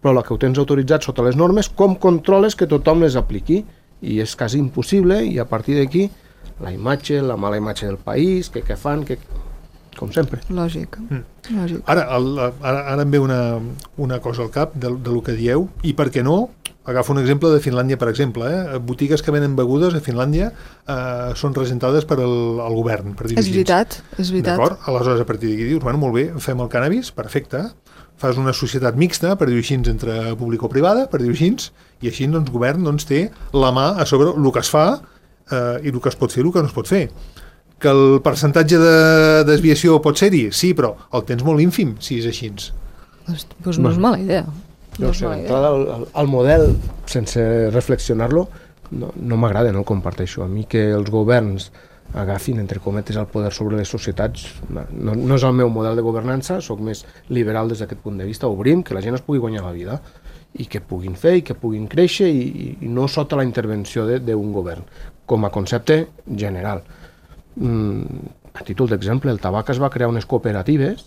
però la que ho tens autoritzat sota les normes, com controles que tothom les apliqui? I és quasi impossible, i a partir d'aquí la imatge, la mala imatge del país, que què fan, que... com sempre. Lògic. Mm. Lògic. Ara, el, ara, ara em ve una, una cosa al cap de, de lo que dieu, i per què no? Agafo un exemple de Finlàndia, per exemple. Eh? Botigues que venen begudes a Finlàndia eh, són regentades per el, el govern, per dir-ho És veritat, és veritat. D'acord? Aleshores, a partir d'aquí dius, bueno, molt bé, fem el cannabis, perfecte, fas una societat mixta, per dir-ho així, entre públic-privada, per dir-ho així, i així doncs, el govern doncs, té la mà a sobre el que es fa eh, i el que es pot fer i el que no es pot fer. Que el percentatge de desviació pot ser-hi? Sí, però el tens molt ínfim, si és així. Doncs pues no és mala idea. No sé, d'entrada el, el model, sense reflexionar-lo, no, no m'agrada, no el comparteixo. A mi que els governs agafin, entre cometes, el poder sobre les societats, no, no és el meu model de governança, sóc més liberal des d'aquest punt de vista, obrim, que la gent es pugui guanyar la vida, i que puguin fer, i que puguin créixer, i, i no sota la intervenció d'un govern, com a concepte general. Mm, a títol d'exemple, el tabac es va crear unes cooperatives,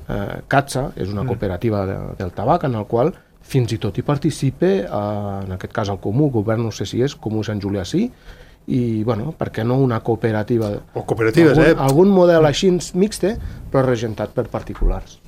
eh, CATSA és una cooperativa de, del tabac en el qual fins i tot hi participa, eh, en aquest cas el Comú, govern no sé si és, Comú Sant Julià sí, i bueno, per què no una cooperativa? O cooperatives, algun, eh? Algun model així mixte, però regentat per particulars.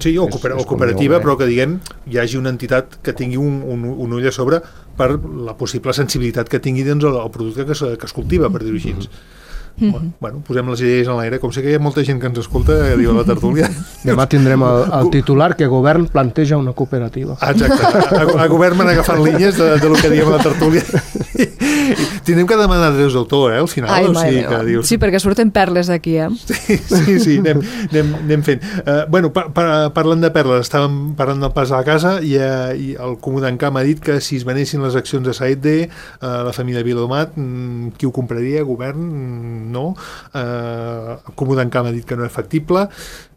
Sí, o, cooper o cooperativa, però que diguem hi hagi una entitat que tingui un, un, un ull a sobre per la possible sensibilitat que tingui doncs, el, el producte que es, que es cultiva, per dir-ho així. Mm-hmm. Bueno, bueno, posem les idees en l'aire, com sé que hi ha molta gent que ens escolta, que diu a la tertúlia. Demà tindrem el, el titular que govern planteja una cooperativa. Exacte, a, a govern m'han agafat línies de, de lo que diem a la tertúlia. Tindrem que demanar drets d'autor, eh, al final. Ai, o sigui, que dius... Sí, perquè surten perles d'aquí, eh? Sí, sí, sí, anem, anem, anem fent. Uh, bueno, pa, pa, parlant de perles, estàvem parlant del pas a la casa i, uh, i el Comú d'Encamp ha dit que si es venessin les accions de Saetde, uh, la família Viladomat, mm, qui ho compraria? Govern? Mm, no. Uh, el Comú d'Encamp ha dit que no és factible.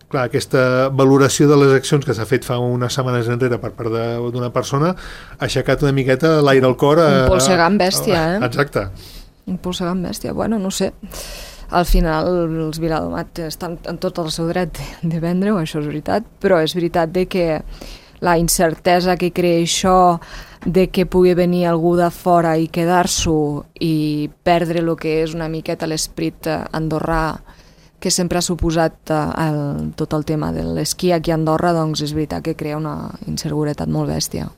Clar, aquesta valoració de les accions que s'ha fet fa unes setmanes enrere per part d'una persona ha aixecat una miqueta l'aire al cor. A, un polsegant bèstia, eh? Exacte. Un polsegant bèstia. Bueno, no sé. Al final els Viladomat estan en tot el seu dret de vendre-ho, això és veritat, però és veritat de que la incertesa que crea això, de que pugui venir algú de fora i quedar-s'ho i perdre el que és una miqueta l'esperit andorrà que sempre ha suposat el, tot el tema de l'esquí aquí a Andorra, doncs és veritat que crea una inseguretat molt bèstia.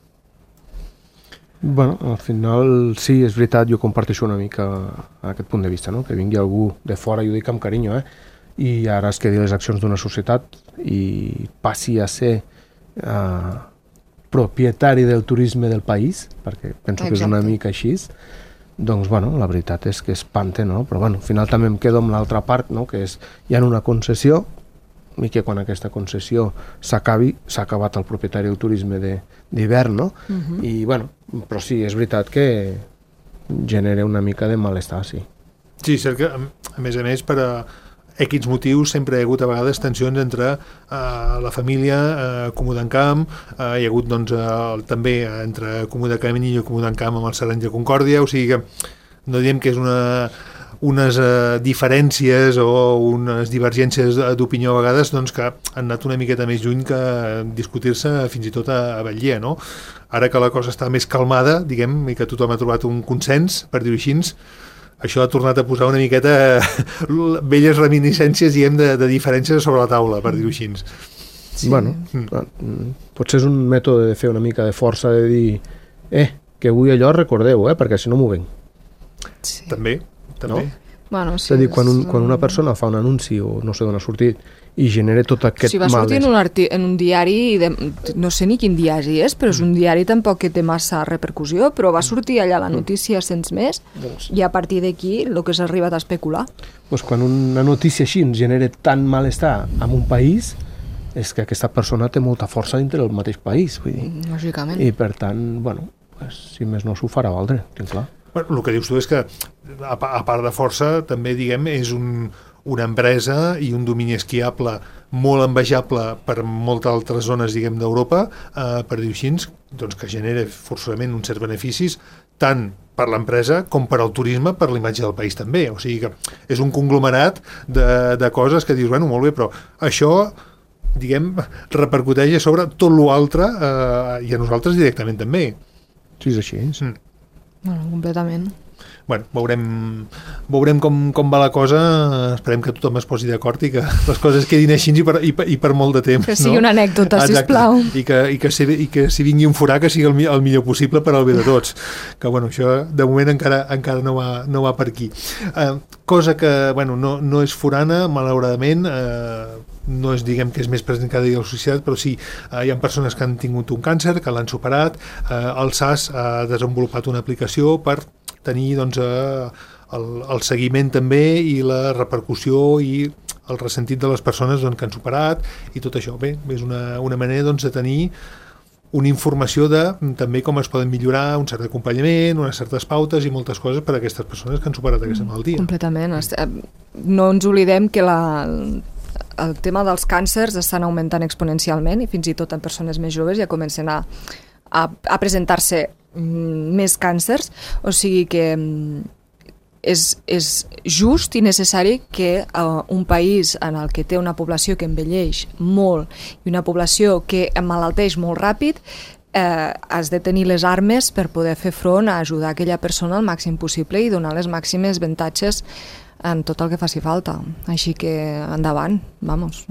Bueno, al final sí, és veritat, jo comparteixo una mica aquest punt de vista, no? Que vingui algú de fora, i ho dic amb carinyo, eh? I ara es quedi les accions d'una societat i passi a ser eh, propietari del turisme del país, perquè penso Exacte. Que és una mica així, doncs, bueno, la veritat és que espanta, no? Però, bueno, al final també em quedo amb l'altra part, no? Que és, hi ha una concessió, i que quan aquesta concessió s'acabi, s'ha acabat el propietari del turisme d'hivern, no? Uh-huh. I, bueno, però sí, és veritat que genera una mica de malestar, sí. Sí, cert que, a més a més, per a X motius sempre hi ha hagut a vegades tensions entre uh, la família, uh, Comú d'Encamp, uh, hi ha hagut doncs, uh, també entre Comú de Camí i Comú d'Encamp amb el Serrans de Concòrdia, o sigui que no diem que és una, unes uh, diferències o unes divergències d'opinió a vegades doncs, que han anat una miqueta més lluny que discutir-se fins i tot a, a Batlle, no? Ara que la cosa està més calmada, diguem, i que tothom ha trobat un consens, per dir-ho així, això ha tornat a posar una miqueta velles reminiscències, diguem, de, de diferències sobre la taula, per dir-ho així. Sí. Bueno, mm. potser és un mètode de fer una mica de força, de dir, eh, que avui allò recordeu, eh, perquè si no m'ho venc. Sí. També, també. No? Bueno, sí, és a dir, quan, un, quan una persona fa un anunci o no sé d'on ha sortit i genera tot aquest si va sortir en un, arti en un diari, de, no sé ni quin diari és, però és un diari tampoc que té massa repercussió, però va sortir allà la notícia sense més i a partir d'aquí el que s'ha arribat a especular. Doncs quan una notícia així ens genera tant malestar en un país és que aquesta persona té molta força dintre del mateix país, vull dir. Lògicament. I per tant, bueno, pues, si més no s'ho farà valdre, tinc clar. Bueno, el que dius tu és que a, a part de força també, diguem, és un una empresa i un domini esquiable molt envejable per moltes altres zones, diguem, d'Europa, eh, per dir-ho així, doncs que genera forçosament uns certs beneficis tant per l'empresa com per al turisme, per l'imatge del país també. O sigui que és un conglomerat de, de coses que dius, bueno, molt bé, però això, diguem, repercuteix a sobre tot l'altre eh, i a nosaltres directament també. Sí, és així. Sí. Mm. Bueno, completament. Bueno, veurem, veurem com, com va la cosa, esperem que tothom es posi d'acord i que les coses quedin així i per, i per, i per molt de temps. Que sigui, no? Una anècdota, Exacte. sisplau. I que, i, que si, I que si vingui un forà que sigui el, el millor possible per al bé de tots. Que bueno, això de moment encara, encara no, va, no va per aquí. Eh, cosa que bueno, no, no és forana, malauradament, eh, no és, diguem, que és més present cada dia a la societat, però sí, eh, hi ha persones que han tingut un càncer, que l'han superat, eh, el S A S ha desenvolupat una aplicació per tenir doncs, eh, el, el seguiment també i la repercussió i el ressentit de les persones doncs, que han superat i tot això. Bé, és una, una manera doncs, de tenir una informació de també com es poden millorar un cert acompanyament, unes certes pautes i moltes coses per a aquestes persones que han superat aquesta malaltia. Completament. No ens oblidem que la, el tema dels càncers estan augmentant exponencialment i fins i tot en persones més joves ja comencen a, a, a presentar-se més càncers, o sigui que és, és just i necessari que uh, un país en el que té una població que envelleix molt i una població que emmalalteix molt ràpid eh, has de tenir les armes per poder fer front a ajudar aquella persona al màxim possible i donar les màximes avantatges en tot el que faci falta. Així que endavant, vamos.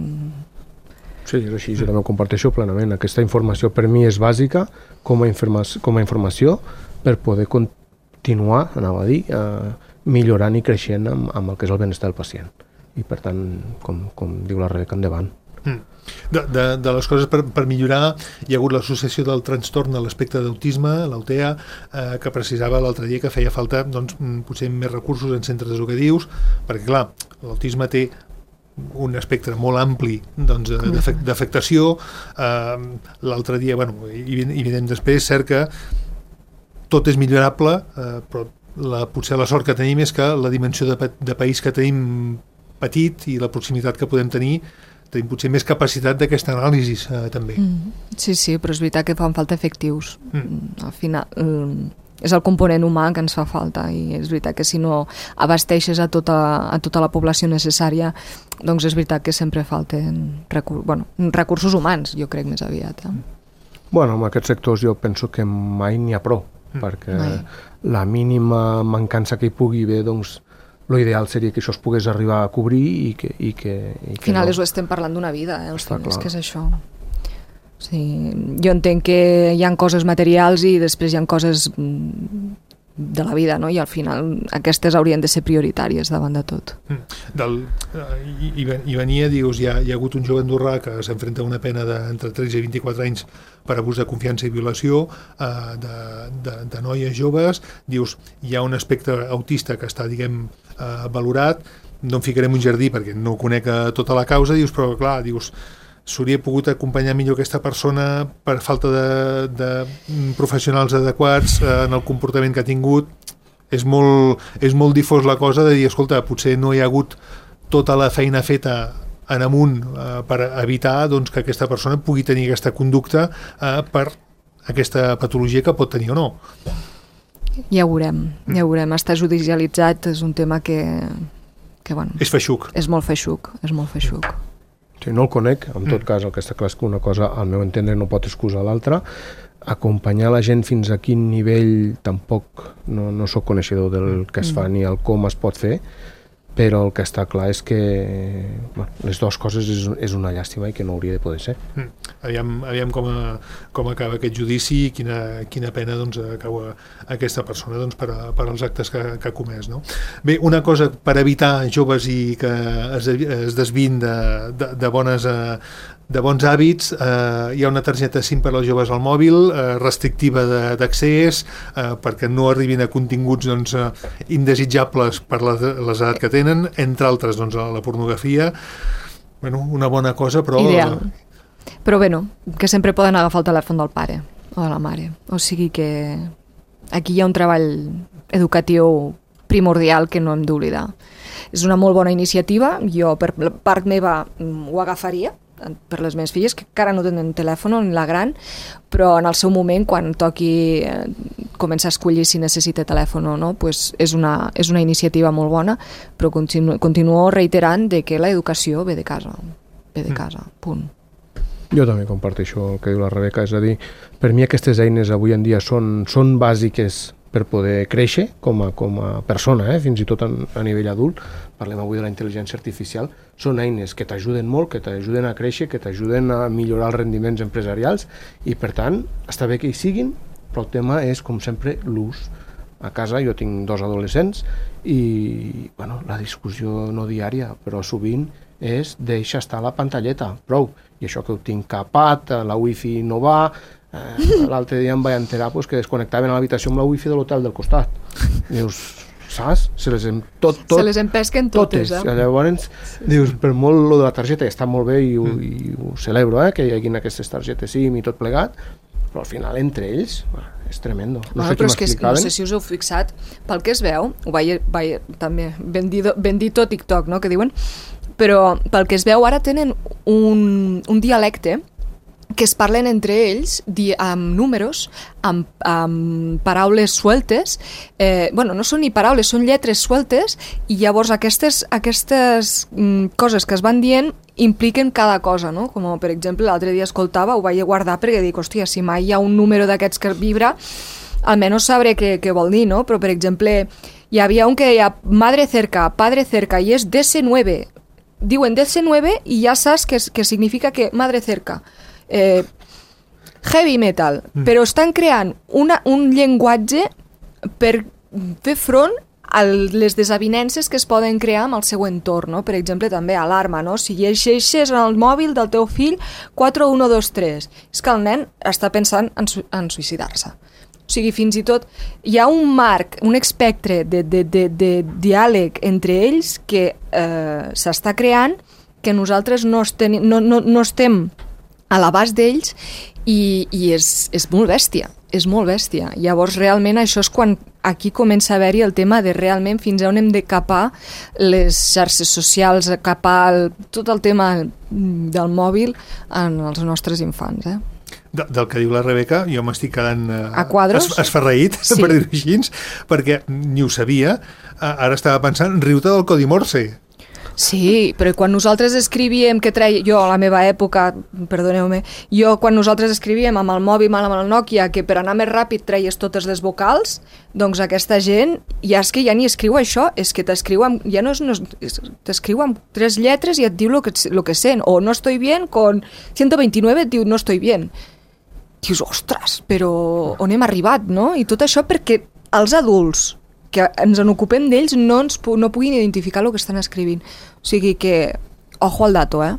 Sí, és així, jo també ho comparteixo plenament. Aquesta informació per mi és bàsica com a, informació, com a informació per poder continuar, anava a dir, eh, millorant i creixent amb, amb el que és el benestar del pacient. I per tant, com, com diu la Rebeca, endavant. Mm. De, de, de les coses per, per millorar, hi ha hagut l'associació del trastorn de l'espectre d'autisme, l'A U T E A, eh, que precisava l'altre dia que feia falta doncs, potser més recursos en centres educatius, perquè clar, l'autisme té un espectre molt ampli doncs, d'afectació. Eh, l'altre dia, bueno, i, i veiem després, cert que tot és millorable, eh, però la, potser la sort que tenim és que la dimensió de, de país que tenim petit i la proximitat que podem tenir, tenim potser més capacitat d'aquesta anàlisi eh, també. Mm. Sí, sí, però és veritat que fan falta efectius. Mm. Al final... Um... és el component humà que ens fa falta i és veritat que si no abasteixes a tota, a tota la població necessària, doncs és veritat que sempre falten recur bueno, recursos humans, jo crec més aviat. Eh? Bueno, en aquests sectors jo penso que mai n'hi ha prou, mm. perquè mai. La mínima mancança que hi pugui haver, doncs l'ideal seria que això es pogués arribar a cobrir i que... I que, i que al final no. ho estem parlant d'una vida, eh? Hosti, és que és això. Sí, jo entenc que hi ha coses materials i després hi ha coses de la vida, no? I al final aquestes haurien de ser prioritàries davant de tot. Del, i, i venia, dius, hi ha, hi ha hagut un jove andorrà que s'enfrenta a una pena d'entre tretze i vint-i-quatre anys per abús de confiança i violació eh, de, de, de noies joves. Dius, hi ha un aspecte autista que està, diguem, eh, valorat. No em ficarem un jardí perquè no conec tota la causa, dius, però clar, dius, s'hauria pogut acompanyar millor aquesta persona per falta de, de professionals adequats eh, en el comportament que ha tingut. És molt, és molt difós la cosa de dir, escolta, potser no hi ha hagut tota la feina feta en amunt eh, per evitar doncs, que aquesta persona pugui tenir aquesta conducta eh, per aquesta patologia que pot tenir o no. Ja ho veurem, ja ho veurem. Està judicialitzat, és un tema que... que bueno, és feixuc. És molt feixuc, és molt feixuc. Sí, no el conec, en tot cas el que està clar és que una cosa al meu entendre no pot excusar l'altra. Acompanyar la gent fins a quin nivell tampoc no, no sóc coneixedor del que es fa ni el com es pot fer, però el que està clar és que bueno, les dues coses és, és una llàstima i que no hauria de poder ser. Mm. Aviam, aviam com, a, com acaba aquest judici i quina, quina pena doncs, acaba aquesta persona doncs, per, a, per als actes que, que ha comès. No? Bé, una cosa per evitar joves i que es, es desvin de, de, de bones... Eh, de bons hàbits, eh, hi ha una targeta SIM per als joves al mòbil, eh, restrictiva d'accés, eh, perquè no arribin a continguts doncs, eh, indesitjables per l'edat que tenen, entre altres doncs, la pornografia. Bueno, una bona cosa, però... Ideal. Però bé, no, que sempre poden agafar el telèfon del pare o de la mare. O sigui que aquí hi ha un treball educatiu primordial que no hem d'oblidar. és una molt bona iniciativa, jo per part meva ho agafaria, per les meves filles, que encara no tenen telèfon, ni la gran, però en el seu moment, quan toqui eh, començar a escollir si necessita telèfon o no, pues és, una, és una iniciativa molt bona, però continu, continuo reiterant de que l'educació ve de casa, ve de casa, punt. Jo també comparteixo el que diu la Rebeca, és a dir, per mi aquestes eines avui en dia són, són bàsiques per poder créixer com a, com a persona, eh? Fins i tot a, a nivell adult. Parlem avui de la intel·ligència artificial. Són eines que t'ajuden molt, que t'ajuden a créixer, que t'ajuden a millorar els rendiments empresarials i, per tant, està bé que hi siguin, però el tema és, com sempre, l'ús. A casa jo tinc dos adolescents i bueno, la discussió no diària, però sovint és deixa estar la pantalleta, prou. I això que ho tinc capat, la wifi no va. Eh, l'altre dia em vaig enterar pues, que desconnectaven a l'habitació amb la wifi de l'hotel del costat. Dius, saps? Se les, em, tot, tot, Se les empesquen totes. totes. Eh? Llavors, dius, per molt lo de la targeta, que està molt bé i ho, mm. i ho celebro, eh, que hi hagin aquestes targetes SIM i tot plegat, però al final entre ells bueno, és tremendo. No bueno, sé però qui és que m'explicaven. no sé si us heu fixat, pel que es veu, ho vaig, vaig també ben, dit, ben dit a TikTok, no?, que diuen, però pel que es veu ara tenen un, un dialecte que es parlen entre ells di, amb números, amb, amb paraules sueltes, eh, bueno, no són ni paraules, són lletres sueltes, i llavors aquestes, aquestes mm, coses que es van dient impliquen cada cosa, no? Com per exemple l'altre dia escoltava, ho vaig guardar perquè dic, hòstia, si mai hi ha un número d'aquests que vibra, almenys sabré què, què vol dir, no? Però per exemple, hi havia un que deia madre cerca, padre cerca, i és D C nueve. Diuen D C nueve i ja saps que, que significa que madre cerca. Eh, heavy metal, mm. però estan creant una, un llenguatge per fer front a les desavinences que es poden crear amb el seu entorn, no? Per exemple, també alarma, no? Si llegeixes en el mòbil del teu fill quatre un dos tres, és que el nen està pensant en, su en suïcidar-se. O sigui, fins i tot hi ha un marc, un espectre de, de, de, de diàleg entre ells que eh, s'està creant, que nosaltres no, estem, no, no, no estem a l'abast d'ells i, i és, és molt bèstia, és molt bèstia. Llavors realment això és quan aquí comença a haver-hi el tema de realment fins a on hem de capar les xarxes socials, capar el, tot el tema del mòbil en els nostres infants, eh? De, del que diu la Rebeca, jo m'estic quedant eh, a quadros? Es, esferraït, sí. Per dir-ho així, perquè ni ho sabia, ara estava pensant, riu-te del codi Morse. Sí, però quan nosaltres escrivíem, que treia, jo a la meva època, perdoneu-me, jo quan nosaltres escrivíem amb el mòbil, amb el Nokia, que per anar més ràpid treies totes les vocals, doncs aquesta gent, ja és que ja ni escriu això, és que t'escriu amb, ja no és, no és t'escriu amb tres lletres i et diu el que, lo que sent, o no estoy bien, con ciento veintinueve et diu no estoy bien. Dius, ostres, però on hem arribat, no? I tot això perquè els adults que ens en ocupem d'ells no ens no puguin identificar el que estan escrivint. O sigui que, ojo al dato, eh?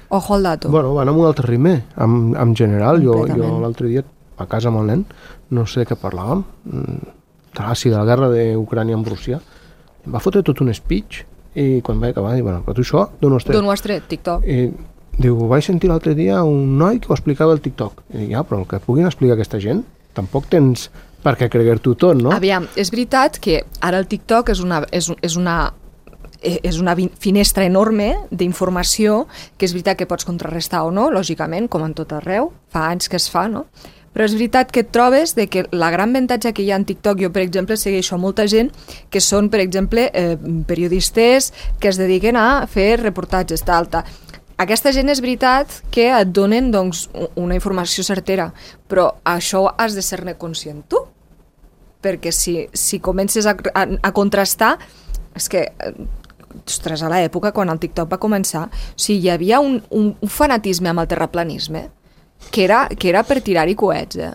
Ojo al dato. Bueno, van amb un altre ritme, en, en general. Jo, jo l'altre dia, a casa amb el nen, no sé què parlàvem, ah, sí, de la guerra d'Ucrània amb Rússia, em va fotre tot un speech i quan vaig acabar, dic, bueno, però tu això d'on ho has tret? D'on ho has tret? TikTok. I diu, vaig sentir l'altre dia un noi que ho explicava al TikTok. I dic, ja, però el que puguin explicar aquesta gent, tampoc tens per què creguer-t'ho tot, no? Aviam, és veritat que ara el TikTok és una, és, és una, és una finestra enorme d'informació, que és veritat que pots contrarrestar o no, lògicament, com en tot arreu, fa anys que es fa, no? Però és veritat que et trobes de que la gran avantatge que hi ha en TikTok, jo per exemple segueixo molta gent que són, per exemple, eh, periodistes que es dediquen a fer reportatges, tal, tal. Aquesta gent és veritat que et donen doncs, una informació certera, però això has de ser-ne conscient tu, perquè si, si comences a, a, a contrastar, és que, ostres, a l'època quan el TikTok va començar, o sigui, hi havia un, un, un fanatisme amb el terraplanisme que era, que era per tirar-hi coets, eh?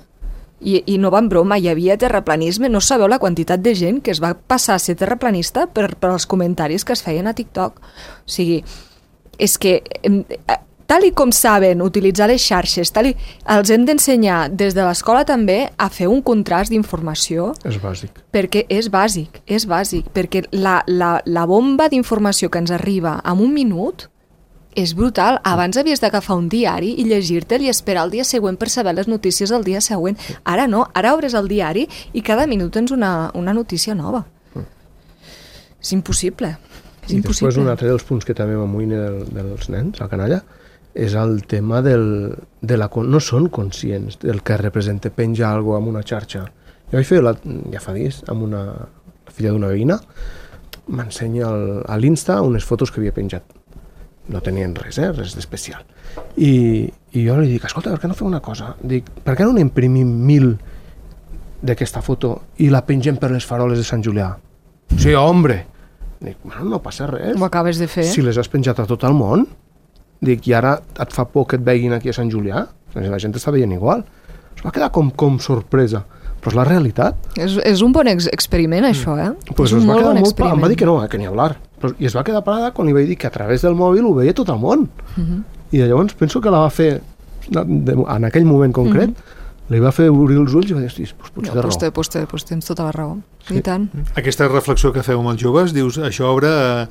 I, i no va en broma, hi havia terraplanisme, no sabeu la quantitat de gent que es va passar a ser terraplanista per, per els comentaris que es feien a TikTok. O sigui, és que tal i com saben utilitzar les xarxes, tal i, els hem d'ensenyar des de l'escola també a fer un contrast d'informació. És bàsic. Perquè és bàsic, és bàsic, perquè la, la, la bomba d'informació que ens arriba en un minut és brutal. Abans havies d'agafar un diari i llegir-te'l i esperar el dia següent per saber les notícies del dia següent. Ara no, ara obres el diari i cada minut tens una, una notícia nova. És impossible. És I impossible. després un altre dels punts que també m'amoïna del, dels nens, la canalla, és el tema del, de la... No són conscients del que representa penjar alguna cosa en una xarxa. Jo vaig fer, la, ja fa dies, amb una la filla d'una veïna, m'ensenya al- a l'Insta unes fotos que havia penjat. No tenien res, eh? Res d'especial. I, I jo li dic, escolta, per què no fem una cosa? Dic, per què no n'imprimim mil d'aquesta foto i la pengem per les faroles de Sant Julià? Sí, hombre! Dic, bueno, no passa res. Ho acabes de fer. Si les has penjat a tot el món, dic, i ara et fa por que et veguin aquí a Sant Julià? La gent està veient igual. Es va quedar com, com sorpresa. Però és la realitat. És, és un bon ex experiment, això, eh? Pues és un es va molt quedar bon molt pa- experiment. em va dir que no, eh, que ni hablar. Però, I es va quedar parada quan li vaig dir que a través del mòbil ho veia tot el món. Uh -huh. I de llavors penso que la va fer, de, en aquell moment concret, uh -huh. li va fer obrir els ulls i va dir, hosti, doncs potser No, té pues, raó. té, pues, té, pues tens tota la raó. Sí. I tant. Aquesta reflexió que feu amb els joves, dius, això obre eh,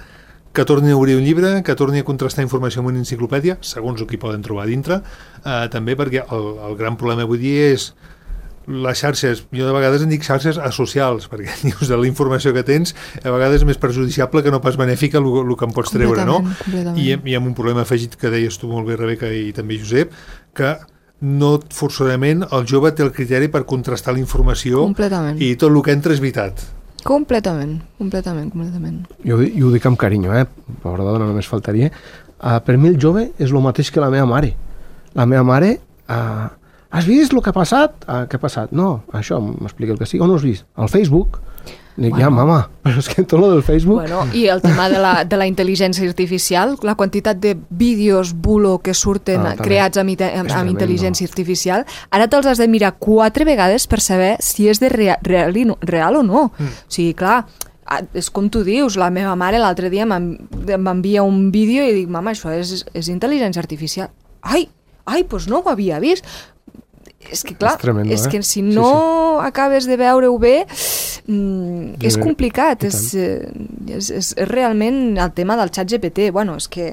que torni a obrir un llibre, que torni a contrastar informació amb una enciclopèdia, segons el que hi poden trobar dintre, eh, també perquè el, el gran problema avui dia és les xarxes, jo de vegades en dic xarxes asocials, perquè dius de la informació que tens, a vegades és més perjudiciable que no pas benèfica el, el que en pots treure, no? Completament. I, I amb un problema afegit que deies tu molt bé, Rebeca, i també Josep, que no forçosament el jove té el criteri per contrastar la informació Completament. i tot el que entra és veritat. Completament, completament, completament. Jo, i ho dic amb carinyo, eh? Pobra dona, només faltaria. Uh, per mi el jove és el mateix que la meva mare. La meva mare... Uh, has vist el que ha passat? Uh, què ha passat? No, això, m'explica el que sigui. On ho has vist? Al Facebook. Dic, Bueno. ja, mama, però és que tot lo del Facebook... Bueno, i el tema de la, de la intel·ligència artificial, la quantitat de vídeos bulo que surten Ah, també. creats amb, ite- És amb, amb tremendo. intel·ligència artificial, ara te'ls has de mirar quatre vegades per saber si és de rea, real, i no, real o no. Mm. O sigui, clar, ah, és com tu dius, la meva mare l'altre dia m'en- m'envia un vídeo i dic, mama, això és, és intel·ligència artificial. Ai, ai, doncs no ho havia vist. És que, clar, És tremendo, és eh? que si Sí, no acabes de veure-ho bé, mm, és Sí, complicat. i És, eh, és, és, és realment el tema del xat G P T. Bueno, és que,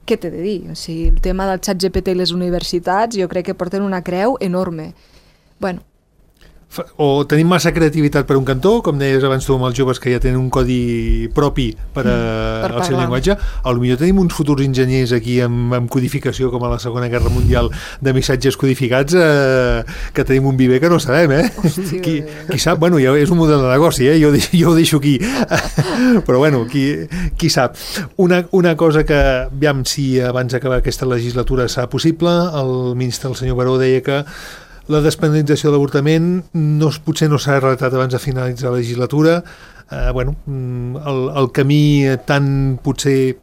què t'he de dir? O sigui, el tema del xat G P T i les universitats jo crec que porten una creu enorme. Bueno, Fa- O tenim massa creativitat per un cantó, com deies abans tu amb els joves que ja tenen un codi propi per, a, Mm, per al seu parlar. llenguatge, potser tenim uns futurs enginyers aquí amb, amb codificació com a la Segona Guerra Mundial de missatges codificats eh, que tenim un viver que no sabem, eh? Hòstia. qui, qui sap? Bueno, ja és un model de negoci, eh? Jo, ho deixo- jo ho deixo aquí. Però bueno, qui, qui sap? Una, una cosa que, aviam si abans d'acabar aquesta legislatura serà possible, el ministre, el senyor Baró, deia que la despenalització de l'avortament no, es- potser no s'ha relatat abans de finalitzar la legislatura. Eh, bueno, mm, el, el camí tan potser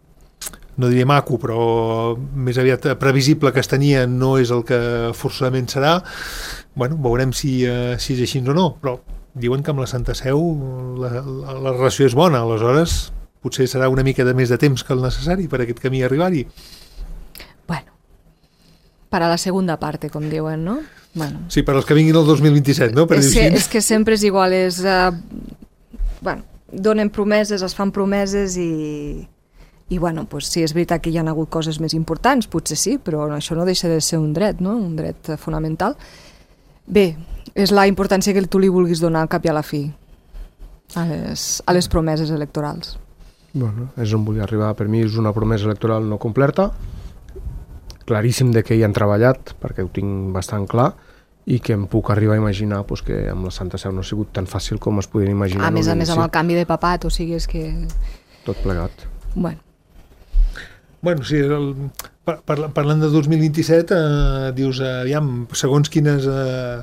no diria maco, però més aviat previsible que es tenia no és el que forçosament serà. Bueno, veurem si, eh, si és així o no, però diuen que amb la Santa Seu la, la, la relació és bona, aleshores potser serà una mica de més de temps que el necessari per aquest camí arribar-hi. bueno. Para la segunda parte, com diuen, no? Bueno. Sí, per als que vinguin el dos mil vint-i-set, no? Per És dir-ho que, així. és que sempre és igual, és... Uh, bueno, donen promeses, es fan promeses i... I, bueno, pues, si és veritat que hi ha hagut coses més importants, potser sí, però això no deixa de ser un dret, no? Un dret eh, fonamental. Bé, és la importància que tu li vulguis donar al cap i a la fi a les, a les promeses electorals. Bueno, és on vull arribar. Per mi és una promesa electoral no complerta, claríssim de que hi han treballat, perquè ho tinc bastant clar, i que em puc arribar a imaginar pues, que amb la Santa Seu no ha sigut tan fàcil com es podien imaginar. A més a en més amb l'inici. el canvi de papat, o sigui, és que... Tot plegat. Bueno, Bueno, sí, el, par, par, parlant de dos mil vint-i-set, eh, dius, eh, aviam, segons quines, eh,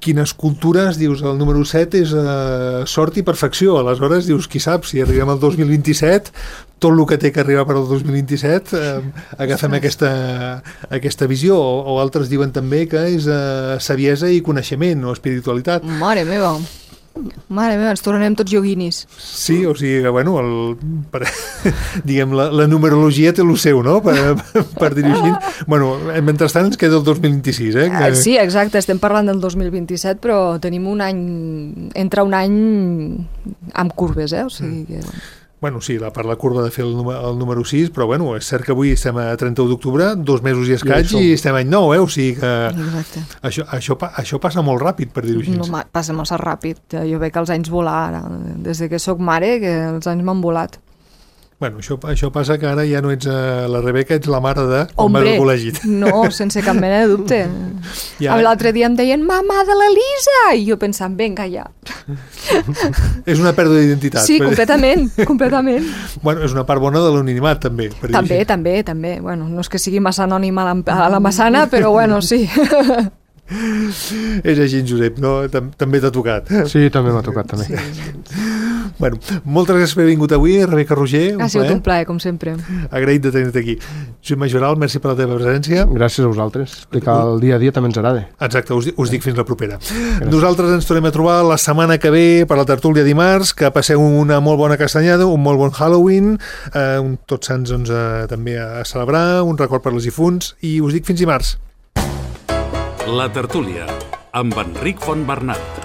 quines cultures, dius, el número set és eh, sort i perfecció. Aleshores, dius, qui sap, si arribem al dos mil vint-i-set, tot el que té que arribar per al dos mil vint-i-set, eh, agafem aquesta, aquesta visió. O, o altres diuen també que és eh, saviesa i coneixement o espiritualitat. mare meva, mare meva, ens tornarem tots yoguinis. Sí, o sigui que, bueno, el, per, diguem, la, la numerologia té el seu, no?, per, per dir-ho així. Bueno, mentrestant ens queda el dos mil vint-i-sis, eh? Ah, sí, exacte, estem parlant del dos mil vint-i-set, però tenim un any, entra un any amb curves, eh? O sigui que... Bueno, sí, la, per la curva de fer el, número, el número sis, però bueno, és cert que avui estem a trenta-u d'octubre, dos mesos i escaig, i, i estem a any nou, eh? O sigui que Exacte. això, això, això passa molt ràpid, per dir-ho així. No, passa massa ràpid. Jo veig els anys volar ara. Des que sóc mare, que els anys m'han volat. Bueno, això, això passa que ara ja no ets uh, la Rebeca, ets la mare de... Hombre, al col·legi. no, sense cap mena de dubte. Ja. L'altre dia em deien, mamà de l'Elisa! I jo pensant, vinga, ja. És una pèrdua d'identitat. Sí, completament, completament. Bueno, és una part bona de l'anonimat, també. Per També, també, també. Bueno, no és que sigui massa anònima a la, a la Massana, però bueno, sí. És així, Josep, no? També t'ha tocat. Sí, també m'ha tocat, també. Sí. Bueno, moltes gràcies per haver vingut avui, Rebeca Roger. Ha sigut un plaer, com sempre. Agraït de tenir-te aquí. Josep Majoral, merci per la teva presència. Gràcies a vosaltres. Explicar el dia a dia també ens agrada. Exacte, us, us dic fins la propera. Gràcies. Nosaltres ens tornem a trobar la setmana que ve per la tertúlia dimarts, que passeu una molt bona castanyada, un molt bon Halloween, eh, un Tots Sants doncs, eh, també a celebrar, un record per les difunts, i us dic fins dimarts. La tertúlia, amb Enric Fontbernat.